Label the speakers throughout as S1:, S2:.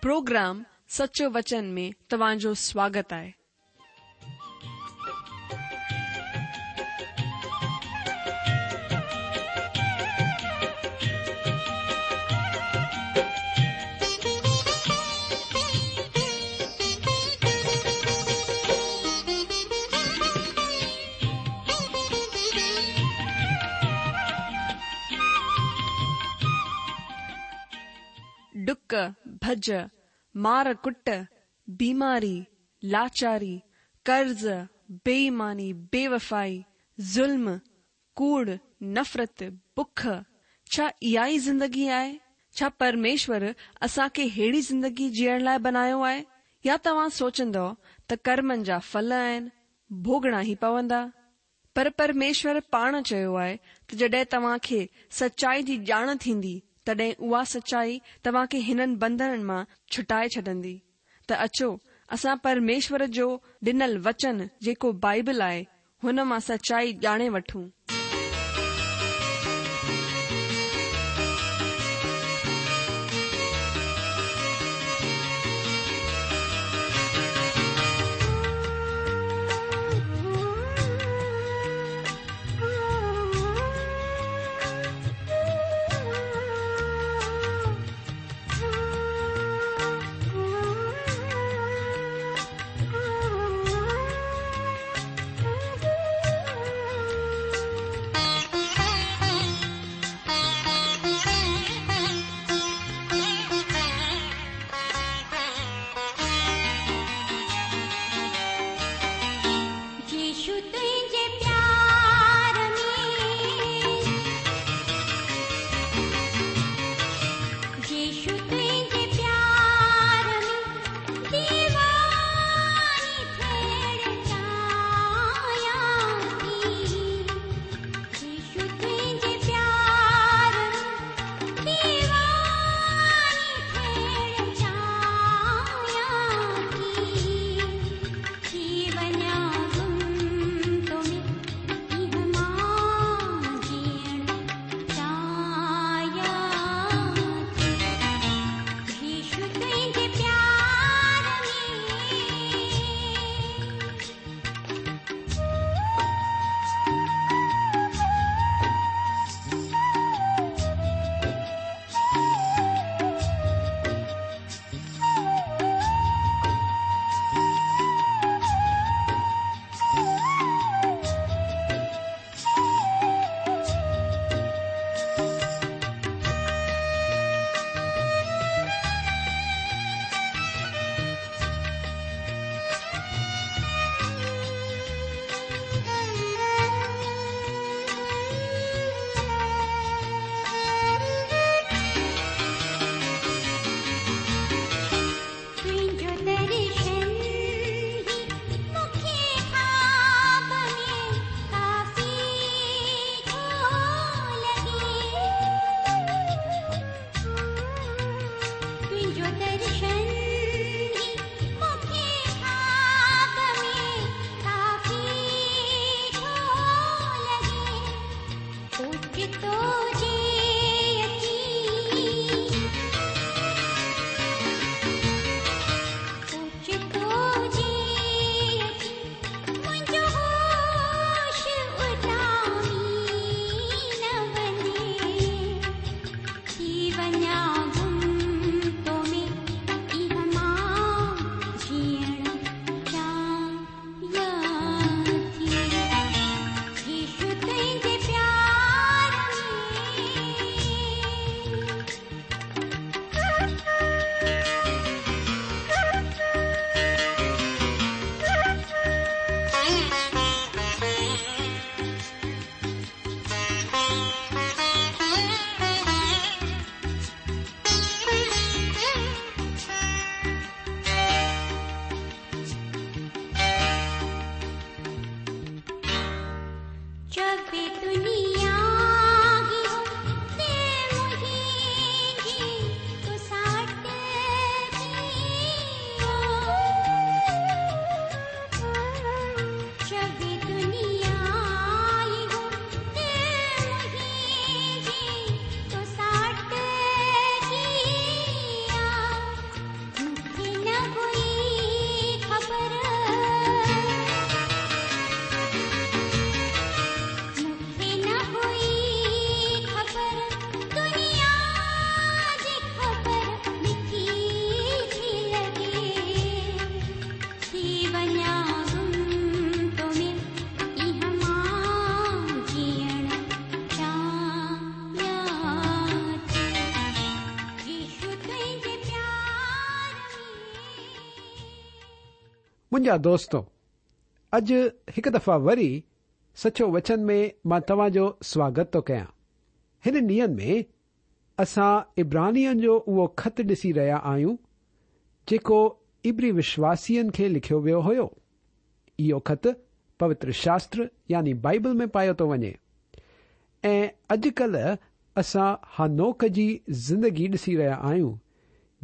S1: Programme سچو وچن ۾ توهان جو سواگت آهي. ڊڪ، ڀڄ، مار ڪٽ، بيماري، لاچاري، قرض، بي ايماني، بي وفائي، ظلم، ڪوڙ، نفرت، بک، ڇا اها ئي زندگي آهي؟ ڇا پرميشور اسان کي ههڙي زندگي جيئڻ لاء بنايو آهي؟ يا توهان سوچندؤ ته ڪرمن جا ڦل آهن، ڀوڳڻا ئي پوندا؟ پر پرميشور پاڻ چيو آهي ته جڏهن توهان کي سچائي جي ڄاڻ ٿيندي، تڏهن اها سچائي توهان کي هنن بنڌنن مان ڇٽائي ڇڏندي. ته اچو، اسان پرميشور جو ڏنل وچن جيڪو بائيبل آهي، هن مان سچائي ڄاڻي وٺون.
S2: منهنجا دوستو، اڄ هڪ دفعا وري سچو وچن ۾ مان توهان جو سواگت ٿو ڪيان. هنن ڏينهن ۾ اسان عبرانين جو اهو خط ڏسي رهيا آهيون، جيڪو عبري وشواسين کي لکيو ويو هيو. اهو خط پوتر شاستر يعني بائيبل ۾ پايو ٿو وڃي ۽ اڄڪلهه اسان حنوڪ جي زندگي ڏسي رهيا آهيون،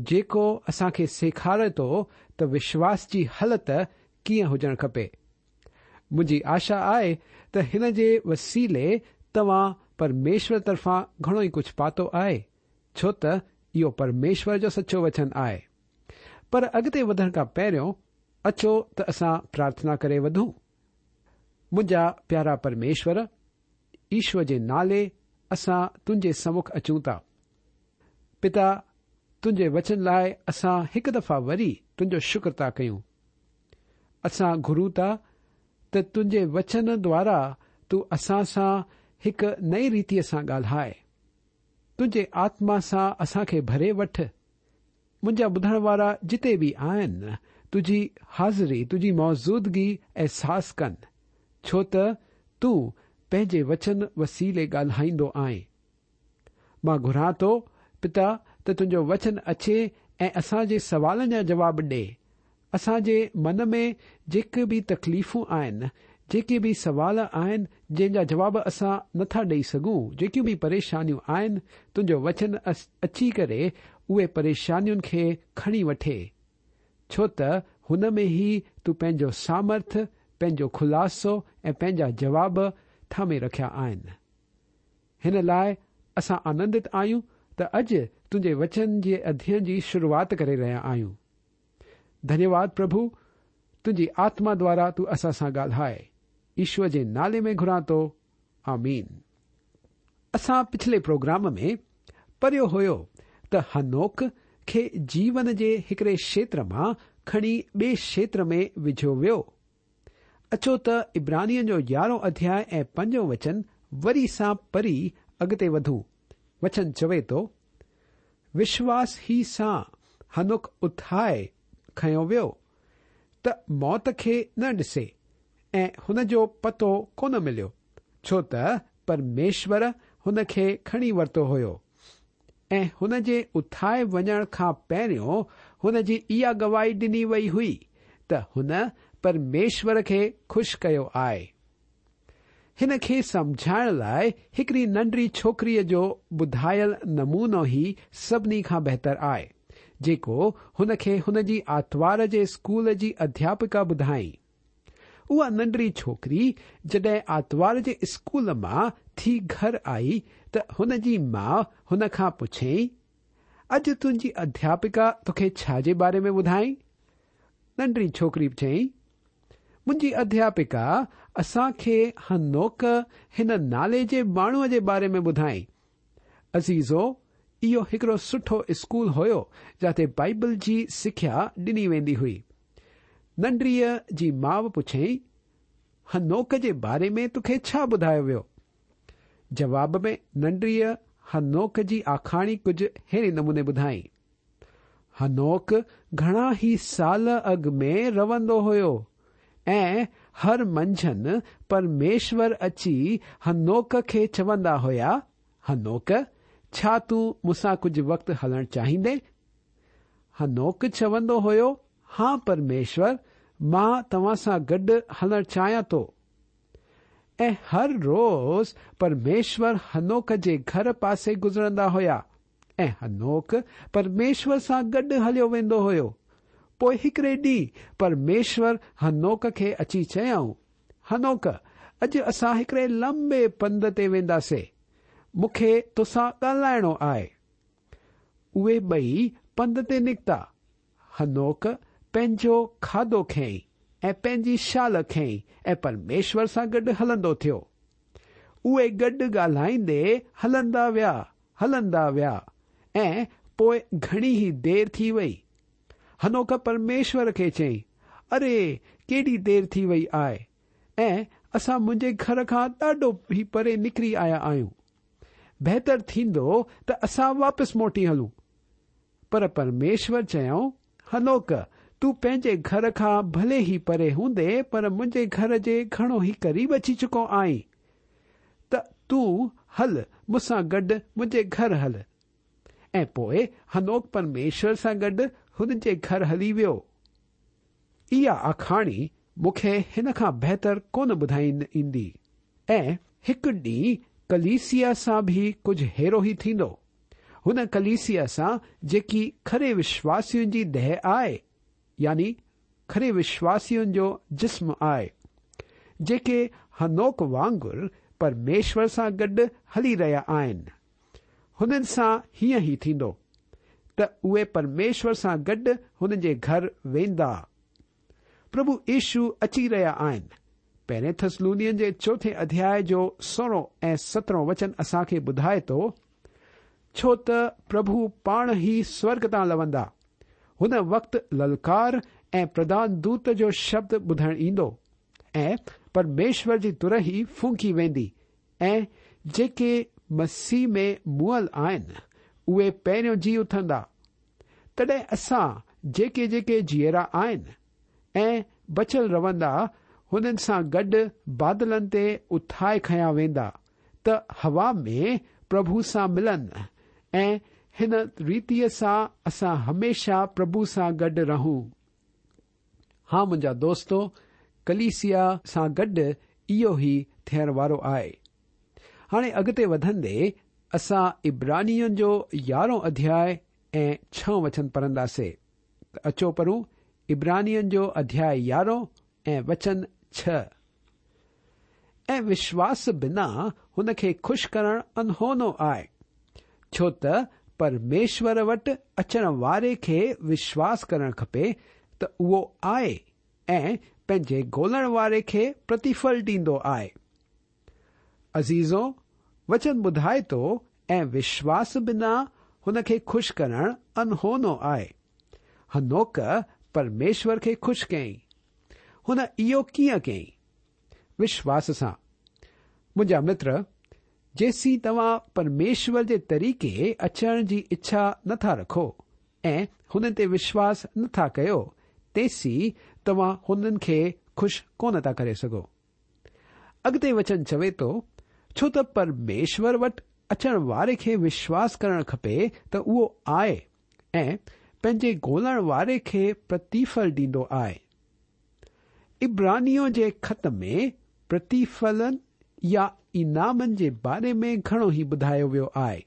S2: جيڪو اسان کي سيکاري ٿو ته وشواس جي حالت ڪيئن هجڻ کپي. منهنجي آشا آهي ته هن جي وسيلي توهان پرميشور طرفان گهڻو ئي ڪجهه پاتو آهي، ڇو ته اهو پرميشور جو سچو وچن آهي. پر اڳتي وڌڻ کان پهريون اچو ته اسان پرارٿنا ڪري وڌون. منهنجا پيارا پرميشور، يشوع جي نالي اسان تنهنجي سمک اچون ٿا. پتا، تنهنجي وچن لاء اسان هڪ دفعا وري تنهنجو شڪر ٿا ڪيون. اسان گهرون ٿا ته تنهنجي وچن دوارا تون اسان سان هڪ نئين ريتيء سان ڳالهاء. تنهنجي آتما سان اسان کي ڀري وٺ. منهنجا ٻڌڻ وارا جتي به آهن، تنهنجي حاضري، تنهنجي موجودگي احساس ڪن، ڇو ته تون پنهنجي وچن وسيلي ڳالهائيندو آهين. مان گهران ٿو، پتا، ته تنهنجو وچن اچي ۽ اسان جي سوالن جا جواب ڏي. اسان جي من ۾ جيڪي به تڪليفون آهن، جيڪي به سوال آهن، جنهن جا جواب اسان نه ٿا ڏئي سگهون، جيڪيون به پريشانيون آهن، تنهنجو وچن اچي ڪري اهي پريشانين کي کڻي وٺي. ڇو ته هن ۾ ئي تون پنهنجو سامرٿ، پنهنجو خلاصو ۽ پنهنجا جواب ٿامي رکيا آهن. هن لاء اسان آنندت آهيون ته اڄ تنهنجي وچن جي اڌيين جي شروعات ڪري رهيا آهيون. ڌنيواد پرڀو، تنهنجي آتما دوارا تون اسان سان ڳالهاء. يشوع جي نالي ۾ گهران ٿو. آمين. اسان پڇلي پروگرام ۾ پڙهيو هيو ته حنوڪ کي جيون جي هڪڙي کيتر مان کڻي ٻئي کيتر ۾ وجهيو ويو. اچو ته عبرانين جو يارهون اڌياء ۽ پنجون وچن وري سان پڙهي اڳتي وڌون. وچن چوي ٿو، وشواس ئي سان حنوڪ اٿائي کنيو ويو ته موت کي نه ڏسي ۽ هن جو پتو ڪونه مليو، ڇو ته پرميشور هن کي کڻي ورتو هيو. ۽ هن جي اٿائي وڃڻ کان پهريون هن جي اها گواهي ڏني وئي هئي ته هن پرميشور کي خوش ڪيو آهي. هن کي سمجهائڻ لاء هڪڙي ننڍڙي ڇوڪريء جو ٻڌايل نمونو ئي سڀني کان بهتر آهي، جيڪو هن کي هن جي آتوار جي اسڪول جي اڌياپڪا ٻڌائين. اها ننڍڙي ڇوڪري جڏهن آتوار جي اسڪول مان ٿي گهر آئي ته هن جي ماء هن کان پڇيائين، اڄ تنهنجي اڌياپڪا توکي ڇا جي باري ۾ ٻڌائين؟ ننڍڙي ڇوڪري چيائين، منهنجي اڌياپڪا اسان کي حنوڪ هن نالي جي ماڻهوء جي باري ۾ ٻڌائين. عزيزو، اهو هڪڙو سٺو اسڪول هيو جاتي بائيبل جي سکيا ڏني ويندي هئي. ننڍڙيء جي ماء پڇيائين، حنوڪ جي باري ۾ توکي ڇا ٻڌايو ويو؟ جواب ۾ ننڍڙيء حنوڪ جي آکاڻي ڪجهه ههڙي نموني ٻڌائين. حنوڪ گهڻا ئي سال اڳ ۾ رهندو هيو ۽ هر منجهند پرميشور اچي حنوڪ کي چوندا هيا، حنوڪ، ڇا تون مون سان ڪجهه وقت هلڻ چاهيندين؟ حنوڪ چوندو هيو، ها پرميشور، مان توهان سان گڏ هلڻ چاهيان ٿو. ۽ هر روز پرميشور حنوڪ جي گهر پاسي گذرندا هيا. ۽ حنوڪ پرميشور سان گڏ هليو ويندو هيو. پوء هڪڙي ڏينهن پرميشور حنوڪ کي اچي چيائون، حنوڪ، اڄ اسان هڪڙي لنبي پنڌ تي وينداسي. مون کي توسان ڳالهائڻو آهي. اهي ٻئي پنڌ تي نڪتا. حنوڪ پنهنجو کاڌو کنئي ۽ پنهنجي شال کنئي ۽ پرميشور سان گڏ هلندو ٿيو. اهي گڏ ڳالهائيندي هلندا ويا، هلندا ويا ۽ پوء گهڻي ئي دير ٿي وئي. حنوڪ پرميشور کي چيائين، اري، ڪيڏي دير ٿي وئي آهي ۽ اسان منهنجي گهر کان ڏاڍو ئي پري نڪري آيا آهيون. بهتر ٿيندو ته اسان واپس موٽي هلون. پر پرميشور چيائون، حنوڪ، تون پنهنجي گهر کان ڀلي ئي پري هوندين پر منهنجي گهر جي گهڻو ئي قريب اچي چڪو آهين ته تون هل مون سان گڏ منهنجي گهر هل. ۽ پوء حنوڪ پرميشور سان گڏ هن جي گهر هلي ويو. اها آکاڻي مون کي هن کان بهتر ڪونه ٻڌائڻ ايندي. ۽ هڪ ڏينهن ڪليسيا سان به ڪجهه ههڙو ئي ٿيندو. هن ڪليسيا سان جيڪي کري وشواسين جي ديهه آهي، يعني کري وشواسين جو جسم آهي، جيڪي حنوڪ وانگر پرميشور سان گڏ هلي رهيا آهن. هنن سان هيئن ئي ٿيندو، ته اهي پرميشور سان گڏ هن جي گهر ويندا. پرڀو يشو اچي رهيا آهن. پهرين ٿسلونين جي چوٿين اڌياء جو سورهون ۽ سترهون وچن اسان کي ٻڌائي ٿو، ڇو ته پرڀو پاڻ ئي سورڳ تان لوندا. هن وقت للڪار ۽ پرڌان دوت جو شبد ٻڌڻ ايندو ۽ پرميشور جي ترهي ڦونڪي ويندي ۽ جيڪي مسيح ۾ مئل آهن، اهي پهريون جي اٿندا. تڏهن اسان جيڪي جيڪي جيئرا آهن ۽ بچيل روندا، هنن سان گڏ بادلن تي اٿائي کنيا ويندا ته هوا ۾ پرڀو سان ملن ۽ هن ريتيء سان اسان هميشه پرڀو سان گڏ رهون. ها منهنجا دوستو، ڪليسيا سان گڏ اهو ئي ٿيڻ وارو آهي. هاڻي اڳتي وڌندي اسان عبرانين جو يارهون اڌياء ۽ ڇهون وچن پڙهنداسي ته اچو پڙهون عبرانين جو اڌياء يارهون ۽ وچن ڇهه. ۽ وشواس بنا هن کي خوش ڪرڻ اڻهونو آهي، ڇو ته پرميشور وٽ اچڻ واري کي وشواس ڪرڻ کپي ته اهو آهي ۽ پنهنجي ڳولڻ واري کي پرتيڦل ڏيندو آهي. عزيزو! وچن ٻڌائي ٿو ۽ وشواس بنا هن کي خوش ڪرڻ اڻهونو آهي. حنوڪ پرميشور کي خوش ڪيائين. هن اهو ڪيئن ڪيائين؟ وشواس سان. منهنجا متر، جيسين توهان پرميشور جي طريقي اچڻ جي اڇا نه ٿا رکو ۽ هنن تي وشواس نه ٿا ڪيو، تيسين توهان هنن کي خوش ڪونه ٿا ڪري سگهو. اڳتي وچن چوي ٿو، ڇو ته پرميشور وٽ اچڻ واري کي وشواس ڪرڻ کپي ته اهو آهي ۽ پنهنجي ڳولڻ واري کي پرتيڦل ڏيندو آهي. عبرانيون جي خط ۾ پرتيڦلن يا انعامن جي باري ۾ گهڻو ئي ٻڌايو ويو آهي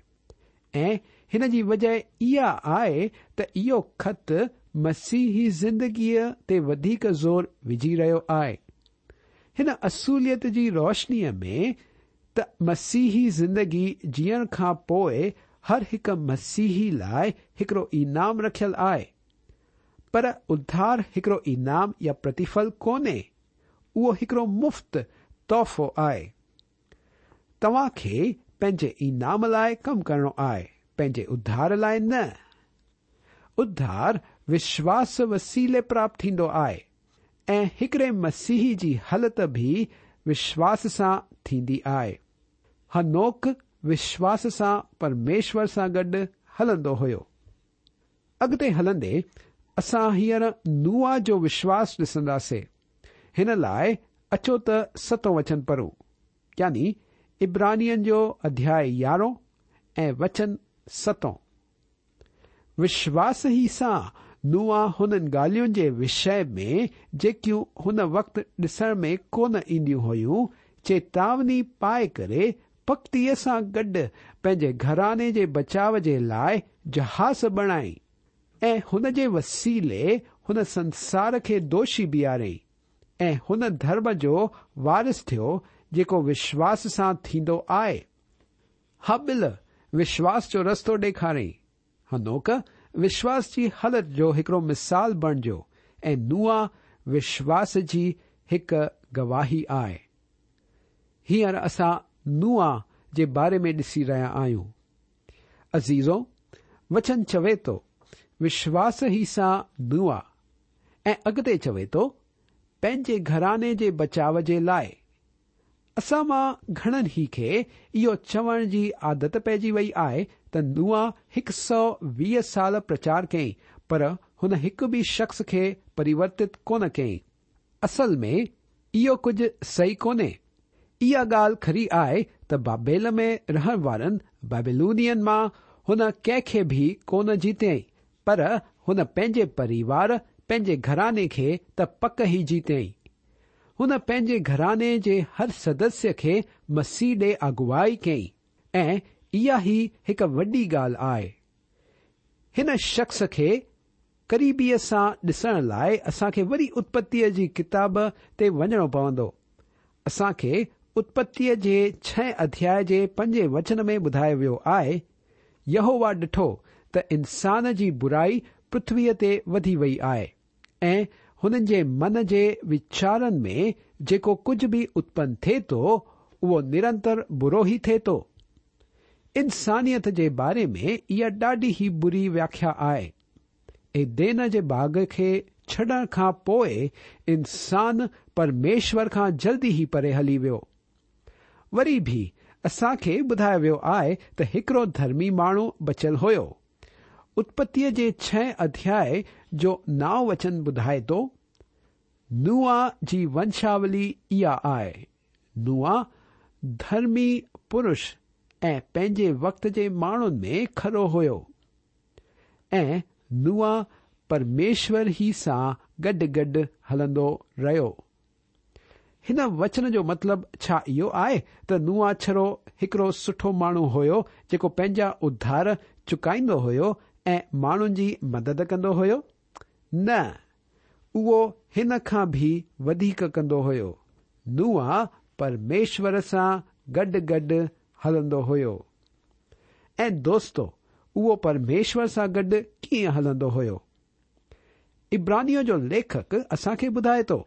S2: ۽ هن جي وجهه اها آهي ته اهو خط مسيحي زندگيء تي وڌيڪ زور وجهي رهيو آهي. هن اصوليت جي روشنيء ۾ ته مسيحي زندگي جيئڻ کان پوء هر هڪ مسيحي لاء هڪڙو انعام رکيل آهي. پر اڌار هڪڙو انعام يا پرتيڦل ڪونهي، اهو هڪڙو مفت تحفو آهي. توهان کي پنهنجي انعام لاء ڪم ڪرڻو آهي، پنهنجي اڌار لاء نه. اڌار وشواس وسيلي پراپت ٿيندو آهي ۽ هڪڙي مسيحي جي هلت به وشواس سان ٿيندي آهي. حنوڪ وشواس سان پرميشور سان گڏ هلندو هيو. اڳتي هلندي اسان هينئر نوح جو وشواس ڏسنداسي. هن لاء اچو ته ستون وچن پڙهون، يعني عبرانين جو اڌياء يارهون ۽ وچن ستون. وشواس ئي سان نوح هنن ڳالهين جي وشي ۾ جيڪيون هن وقت ڏسڻ ۾ ڪونه اينديون هيون، چيتاوني پائي ڪري پختيء سان گڏ پنهنجي گهراڻي جي بچاء جي لاء جهاز بڻائين ۽ هن جي وسيلي هن سنسار کي دوشي بيهاريائين ۽ هن ڌرم جو وارث ٿيو جيڪو وشواس سان ٿيندو آهي. هابيل وشواس جو رستو ڏيکاريائين. حنوڪ وشواس جي هلت جو هڪڙو مثال بڻجيو ۽ نوح وشواس جي هڪ گواهي آهي. هينئر اسان نوح جي باري ۾ ڏسي رهيا آهيون. عزيزو! وچن چوي ٿو، وشواس ئي سان نوح ۽ اڳتي چوي ٿو، پنهنجي گهراڻي جي بچاء جي لاء. اسان مان گهڻن ئي کي اهو چوڻ جي عادت پئجي وئي آهي ته نوح هڪ سئو 20 سال پرچار ڪيائين پر هن هڪ به شخص کي پريورتت ڪونه ڪيائين. اصل ۾ اهو ڪجهه صحيح ڪونهي. اها ڳالهه کري آهي ته بابيل ۾ رهڻ وارن بابيلونين مان هن ڪنهن کي به ڪونه جيتيائين، پر هن پنهنجي پريوار، پنهنجي گهراڻي کي ته پڪ ئي جيتيائين. هن پنهنجي گهراڻي جي هر سدسيه کي مسيح ڏي اڳوائي ڪئي ۽ اها ئي هڪ وڏي ڳالهه آهي. هن شخص کي قريبيء سان ڏسڻ لاء اسان کي وري اتپتيء جي ڪتاب تي وڃڻو پوندو. اسان کي اتپتيء جي ڇهين اڌياء جي پنجين وچن ۾ ٻڌايو ويو آهي، يهوه ڏٺو ته انسان جي برائي پرٿويء تي وڌي وئي آهي ۽ هنن جي من جي ويچارن ۾ جيڪو ڪجهه به اتپن ٿئي ٿو، اهو نرنتر برو ئي ٿئي ٿو. انسانيت جي باري ۾ اها ڏاڍي ئي بري وياکيا آهي. ايدين جي باغ کي ڇڏڻ کان پوء انسان پرميشور کان جلدي ئي پري هلي ويو. وري به اسان کي ٻڌايو ويو آهي ته هڪڙو ڌرمي ماڻهو بچيل هيو. اتپتيء جي ڇهين اڌياء جو نائون وچن ٻڌائي ٿو، نوح جي ونشاولي اها آهي. نوح ڌرمي پرش ۽ پنهنجي وقت جي ماڻهن ۾ کرو هيو ۽ نوح پرميشور ئي سان گڏ گڏ هلندو رهيو. هن وچن جو مطلب ڇا اهو آهي ته نوح ڇڙو هڪڙو سٺو ماڻهو هيو جيڪو پنهنجا اڌار چڪائيندو هيو ۽ ماڻهن جي مدد ڪندو هيو؟ نه، اهو هن کان به وڌيڪ ڪندو هيو. نوح پرميشور سان گڏ گڏ هلندو هيو. ۽ دوستو، اهو پرميشور سان گڏ ڪيئن هلندو هيو؟ عبرانيون جو ليکڪ اسان کي ٻڌائي ٿو،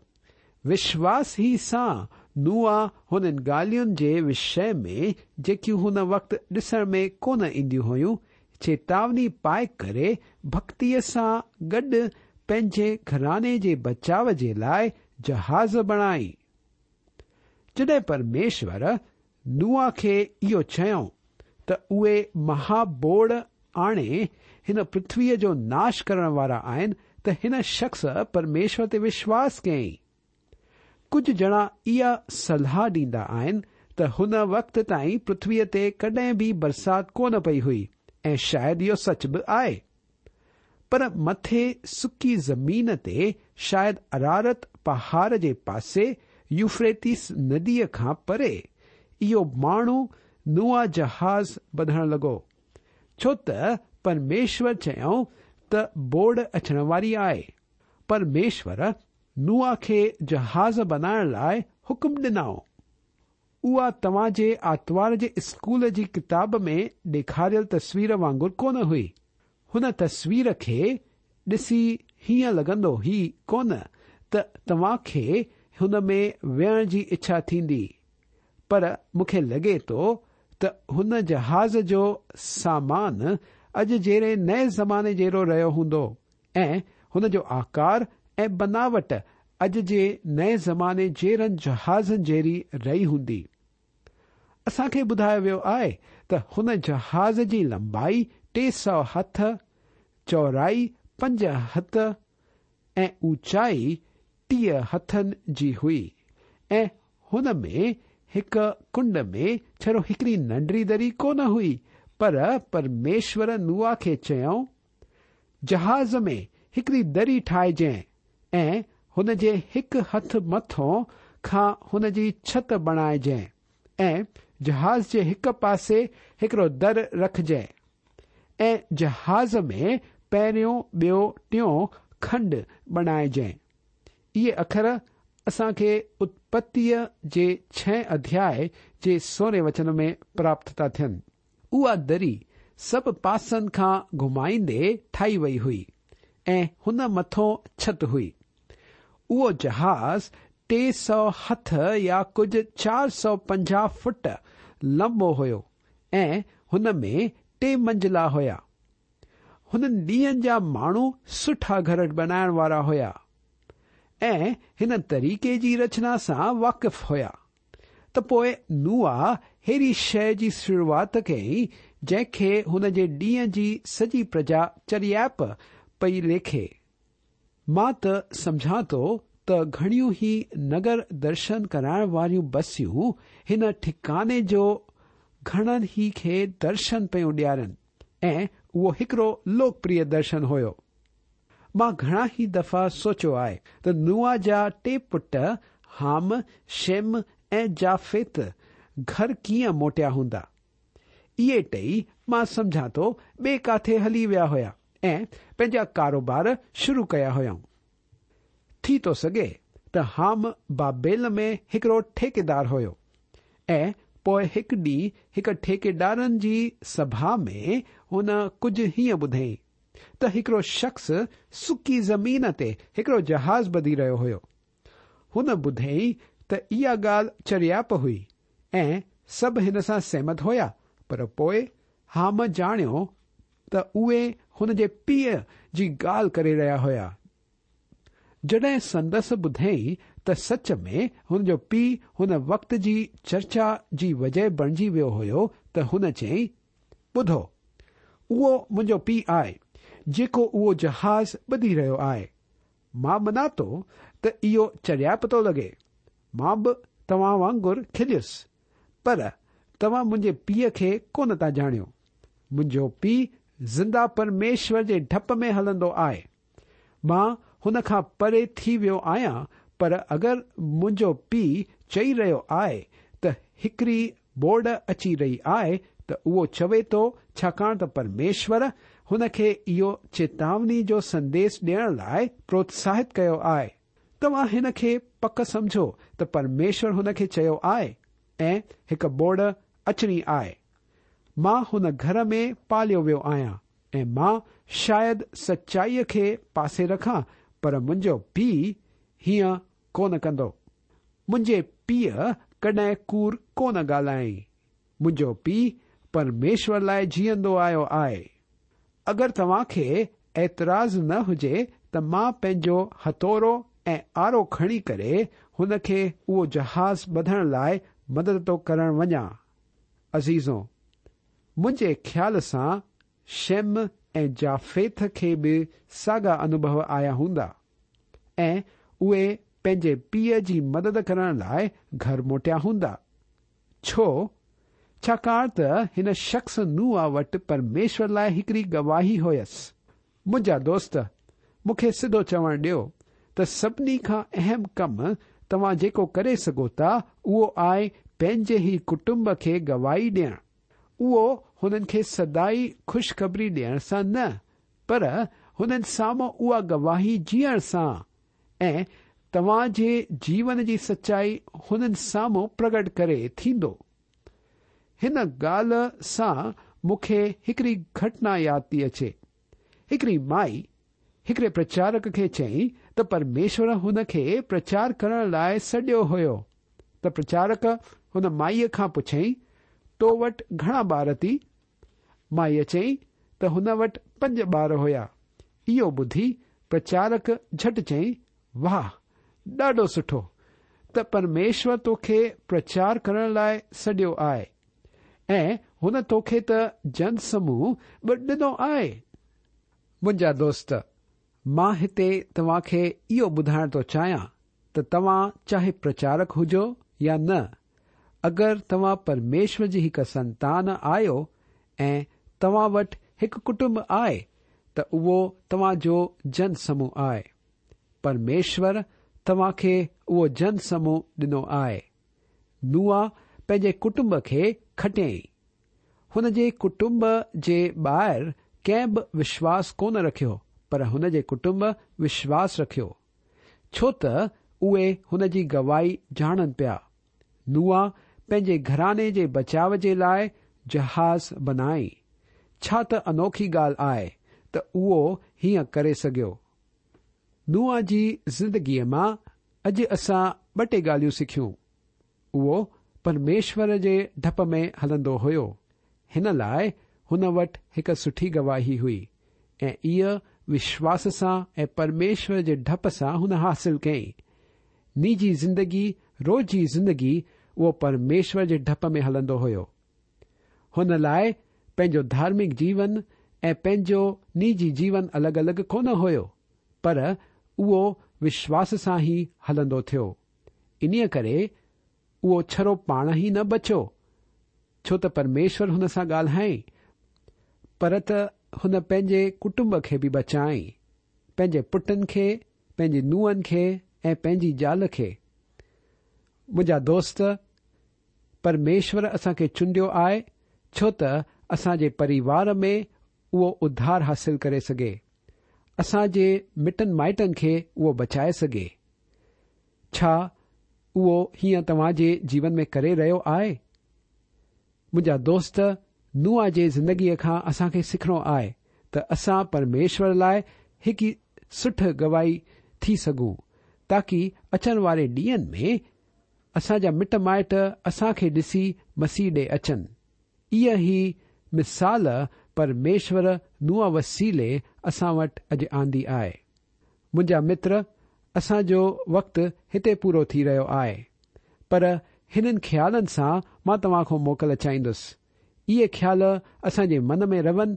S2: وشواس ئي سان نوح هنن ڳالهين جي وشي ۾ جيڪيون هن وقت ڏسڻ ۾ ڪونه اينديون هيون، چيتاوني پائي ڪري ڀڳتيء سان گڏ پنهنجي گهراڻي جي بچاء جي لاء جهاز بڻائي. جڏهن پرميشور نوح کي اهو چيائون ته اهي مها ٻوڏ آڻي هن پرٿويء جو ناش ڪرڻ وارا آهن ته هن شخص پرميشور تي وشواس ڪيائين. ڪجهه ڄڻا اها صلاح ڏيندا آهن ته هن وقت تائين پرٿويء تي ڪڏهن به برسات ڪونه پئي هئي ۽ شايد اهو سچ به آهي. پر مٿي سڪي زمين تي شايد ارارت پهاڙ جي پاسي يوفريطيس نديء کان پري اهو ماڻهو نوح جهاز ٻڌڻ لڳو، ڇو ته پرميشور چيائون ته ٻوڏ اچڻ واري آهي. پرميشور نوح کي جهاز بنائڻ لاء حڪم ڏنائون. اها توهان جي آتوار جي اسڪول جي ڪتاب ۾ ڏيکاريل تصوير وانگر ڪونه هئي. هن تصوير کي ڏسي هيئن لڳندو ئي ڪونه ته توهان کي هن ۾ ويهڻ جي اڇا ٿيندي. پر مون کي لڳي ٿو ته هن جهاز جو سامان اڄ جهڙي نئين زماني جهڙو رهيو هوندو ۽ هن جو آڪار ۽ بناوٽ اڄ جي نئين زماني جهڙن جهازن جهڙي رهي هوندي. اسان کي ٻڌايو ويو آهي ته هن جهاز جي لنبائي 300 هٿ، چوڙائي 5 هٿ ۽ اوچائي 30 هٿن جي هئي ۽ هن ۾ هڪ ڪنڊ ۾ ڇڙو هڪڙي ننڍڙي دري ڪونه هئي پر پرميشور نوح کي چيائون جهاز ۾ هڪڙي دري ٺاهجانء ۽ هن جي هڪ هٿ مٿون کان هن جي ڇت بڻائجانء ۽ جهاز جي هڪ پاسي هڪڙو در رکجانء ۽ جهاز ۾ پهريون، ٻيو، ٽيون کنڊ بڻائجانء. اهي اکر اسان کي اتپتيء جي ڇهين اڌياء جي سورهين وچن ۾ پراپت ٿا ٿين. اها دري سڀ پاسن کان گهمائيندي ٺاهي وئي هئي ۽ هن مٿون ڇت هئي. اهو جهاز 300 هٿ يا ڪجهه 450 فٽ لنبو هيو ۽ هن ۾ ٽي منزلا هيا. هنن ڏينهن جا ماڻهو سٺا گهر بنائڻ وارا هيا ۽ هن طريقي جي رچنا سان واقف هيا. ته پوء نوح ههڙي شيء جي شروعات ڪئي، جنهن کي هن جي ڏينهن جي سڄي پرجا چريائپ پئي ليکي. مان ته سمجهان ٿو ته گهڻيون ئي نگر درشن ڪرائڻ واريون بسيون هن ٺڪاني جو گهڻن ئي کي درشن پيون ڏيارين ۽ اهو هڪڙو لوڪپريه درشن هيو. مان گهڻا ئي دفعا سوچيو آهي ته نوح جا ٽي پٽ حام، شيم ۽ جافيت گهر ڪيئن موٽيا هوندا. اهي ٽئي مان سمجهان ٿو ٻئي ڪاٿي هلي ويا هيا ۽ پنهنجا ڪاروبار شروع ڪيا هيائون. ٿي ٿو سگهي ته حام بابيل ۾ هڪڙو ٺيڪيدار هيو ۽ پوء هڪ ڏينهن هڪ ٺيڪيدارن جي سڀا ۾ هن ڪجهه هيئن ٻڌئين ته هڪڙو شخص سڪي زمين تي هڪڙو جهاز ٻڌي رهيو هيو. هن ٻڌئين ته اها ڳالهه چريائپ هئي ۽ سڀ هن سان سهمت هيا پر پوء حام ڄاڻيو ته اهي هن جي پيء جي ڳالهه ڪري رهيا هيا. جڏهن سندس ٻڌئين ته سچ ۾ هن جو پيء هن وقت جي چرچا جي وجهه بڻجي ويو هيو ته هن چيائين، ٻڌو، اهو منهنجو پيء آهي، جيڪو اهو جهاز ٻڌي رهيو آهي. مان مڃان ٿو ته اهو چريائپ ٿو لڳي. مان به توهان وانگر کليس. پر توهان منهنجي پيء کي ڪونه ٿا ڄاڻيو. منهنجو پيء زنده پرميشور جي ڊپ ۾ هلندو آهي. مان هن کان پري ٿي ويو آهيان پر اگر منهنجو پيء چئي رهيو آهي ته هڪڙي ٻوڏ اچي رهي آهي ته اهو چوي ٿو ڇاڪاڻ ته پرميشور هن کي اهو چيتاوني جو سنديس ڏيڻ لاء پروتساهت ڪيو آهي. توهان هن کي پڪ سمجهو ته پرميشور هن کي چيو آهي ۽ هڪ ٻوڏ اچڻي آهي. مان هن گهر ۾ پاليو ويو آهيان ۽ مان شايد سچائيء کي پاسي رکان پر منهنجو پيء هيئن ڪونه ڪندو. منهنجي پيء ڪڏهن ڪوڙ ڪونه ڳالهايائين. منهنجو پيء پرميشور لاء جيئندو آيو آهي. اگر توهان کي اعتراض نه هجي ته مان پنهنجو هٿورو ۽ آرو کڻي ڪري هن کي اهو جهاز ٻڌڻ لاء مدد ٿو ڪرڻ وڃان. عزيزو! منهنجي خيال سان شيم ۽ جافيٿ کي به ساڳا انوڀو آيا هوندا ۽ اهي پنهنجي پيء جي مدد ڪرڻ لاء گهر موٽيا هوندا. ڇو؟ ڇاڪاڻ ته هن شخص نوح وٽ پرميشور لاء هڪڙي گواهي هيس. منهنجا دوست، مون کي سڌو چوڻ ڏيو ته سڀني کان اهم ڪم توهان جيڪو ڪري سگهو ٿا اهو آهي پنهنجي ئي ڪٽنب کي گواهي ڏيڻ. اهو هنن کي سدائي خوشخبري ڏيڻ سان نه، پر هنن سامهون اها گواهي جيئڻ سان ۽ توهان جي جيون جي سچائي هنن سامهون پرگٽ ڪري ٿيندو. هن ڳالهه سان مون کي هڪڙي گهٽنا ياد ٿي اچي. هڪڙي مائي هڪڙي پرچارڪ کي چيائين ته پرميشور هن کي پرچار ڪرڻ لاء سڏيو هيو ته پرچارڪ هن مائيء کان پڇيائين تو وٽ گهڻا ٻار ٿي؟ مائيء چيائين ته هن وٽ پنج ٻار هيا. اهو ٻڌي پرچارڪ جهٽ چيائين واهه ڏاڍو سٺو ته پرميشور توکي پرچار ڪرڻ لاء سڏيو آهي. ۽ هن توکي ته جن سموهه به ڏنو آهي. منهنجا دوست، مان هتي توهان کي اهو ٻڌائڻ ٿو چاهيان ته توهان چاهي پرچارڪ هجو يا نه، اگر توهان پرميشور جي هڪ سنتان آهيو ۽ توهان وٽ هڪ ڪٽنب آهي ته اهو توهان جو جن سموهه آهي. پرميشور توهان کي اهو جن سموهه ڏنو آهي. نوح پنهنجي ڪٽنب کي کٽيائين. هن جي ڪٽنب جي ٻاهر ڪنهن به وشواس ڪونه رکيو پر هن جي ڪٽنب وشواس رکيو. ڇو ته اهي هن جي گواهي ڄاڻن پيا. نوح پنهنجي گهراڻي جي بچاء جي لاء جهاز بنائين. ڇا ته انوکي ڳالهه آهي ته اهو هيئن ڪري سگهيو. نوح جي زندگيء مان اڄ اسان ٻه ٽي ڳالهيون سکيون. اهو پرميشور جي ڊپ ۾ هلندو هيو. هن لاء هن وٽ هڪ سٺي گواهي هئي ۽ اها وشواس سان ۽ پرميشور جي ڊپ سان هن حاصل ڪئي. نجي زندگي، روز جي زندگي اهو پرميشور جي ڊپ ۾ هلندو هيو. هن لاء پنهنجو ڌارمڪ جيون ۽ پنهنجو نجي جيون الڳ الڳ ڪونه هيو. پر اهو وشواس سان ئي هلندو ٿيو. انهيء ڪري اهو ڇڙو پاڻ ئي نه بچيو، ڇو ته پرميشور هن سان ڳالهائين، پر ته هن پنهنجي ڪٽنب کي به بچائين، پنهنجي پٽن کي، پنهنجي نونهن کي ۽ پنهنجي زال کي. منهنجا دوست، پرميشور اسان کي چونڊيو آهي ڇو ته اسان جي پريوار ۾ اهو اڌار حاصل ڪري سگهي، اسان جي مٽن مائٽن کي اهو بچائي سگهي. ڇا اهو هيئن توهان جي جيون ۾ ڪري رهيو آهي؟ منهنجا دوست، نوح جي زندگيء کان اسان کي سکڻو آهي ته اسان پرميشور لاء هڪ سٺ گواهي ٿي سگهون تاڪي اچڻ واري ڏينهن ۾ اسان جا مٽ مائٽ اسان کي ڏسي مسيح ڏي اچن. اها ئي مثال پرميشور نوح وسيلي اسان وٽ اڄ آندي آهي. منهنجا متر، اسان جو وقت هتي پورو ٿي رهيو آهي، پر هنن خيالن سان مان توهان کان موڪل چاهيندس. اهي خيال اسان جي من ۾ رهن،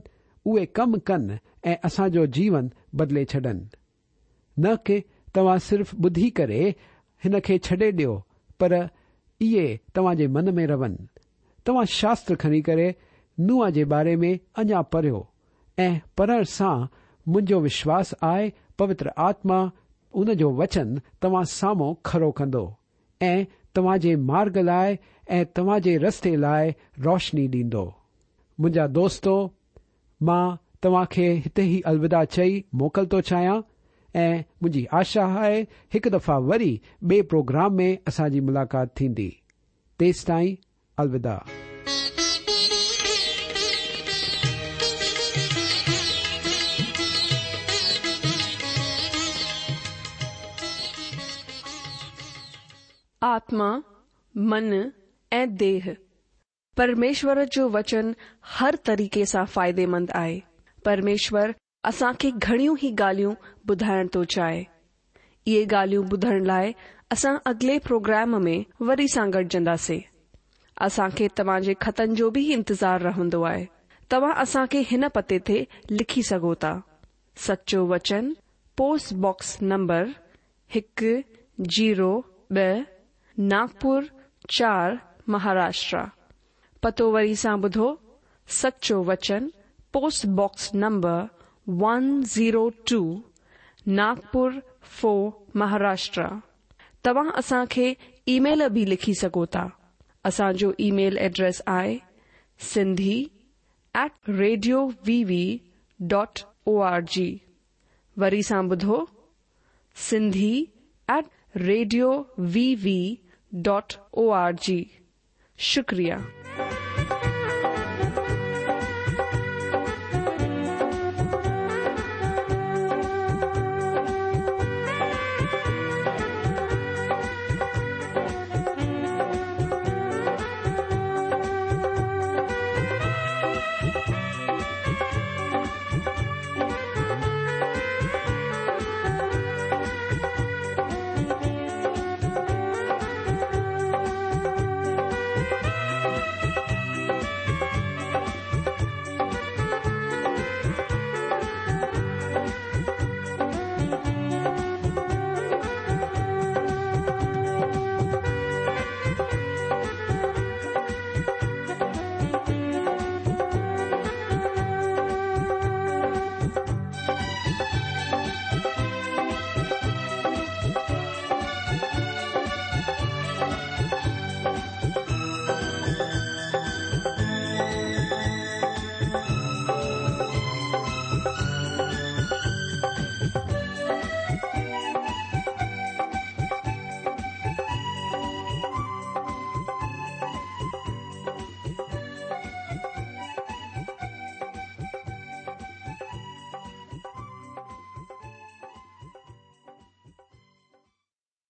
S2: اهي ڪم ڪن ۽ اسان جو جيون بدلي ڇڏن. نه ڪي توهان صرف ٻڌي ڪري هن کي ڇڏي ڏيو، پر اهي توهان جي من ۾ رهن. توهان شاستر کڻي ڪري نوح جي باري ۾ اڃا پڙهيو ۽ پڙهڻ سان منهنجو وشواس آهي پوتر آتما ان جو وچن توهان سامهون کرو ڪندو ۽ توهان جي مارگ لاء ۽ توهان جي رستي لاء روشني ڏيندو. منهنجا دوستو مان توهان کي هتي ئي الوداع چئي موڪل ٿو چاهيان ۽ منهنجي آشا آهي هڪ دفعا وري ٻئي پروگرام ۾ اسان جي ملاقات ٿيندي. تيستائين الوداع.
S1: آتما، من ۽ ديهه. پرميشور جو وچن هر طريقي سان فائديمند آهي. پرميشور اسان کي گهڻيون ئي ڳالهيون ٻڌائڻ ٿو چاهي. اهي ڳالهيون ٻڌڻ لاء اسان اڳلي پروگرام ۾ وري سان گڏجنداسين. اسان کي توهان جي خطن جو به انتظار رهندو آهي. توهان اسان کي هن پتي تي لکي سگهو ٿا. سچو وچن، پوسٽ باڪس نمبر هڪ زيرو ٻه، ناگپور چار، مهاراشٽرا. پتو وري سان ٻڌو، سچو وچن، post box number one zero two, Nagpur four Maharashtra. توهان اسان کي اي ميل به لکي سگهو ٿا. اسان جو اي ميل ايڊريس آهي Sindhi at radio V V dot O R G. وري سان ٻڌو Sindhi at radio V V dot O R G. شڪريه.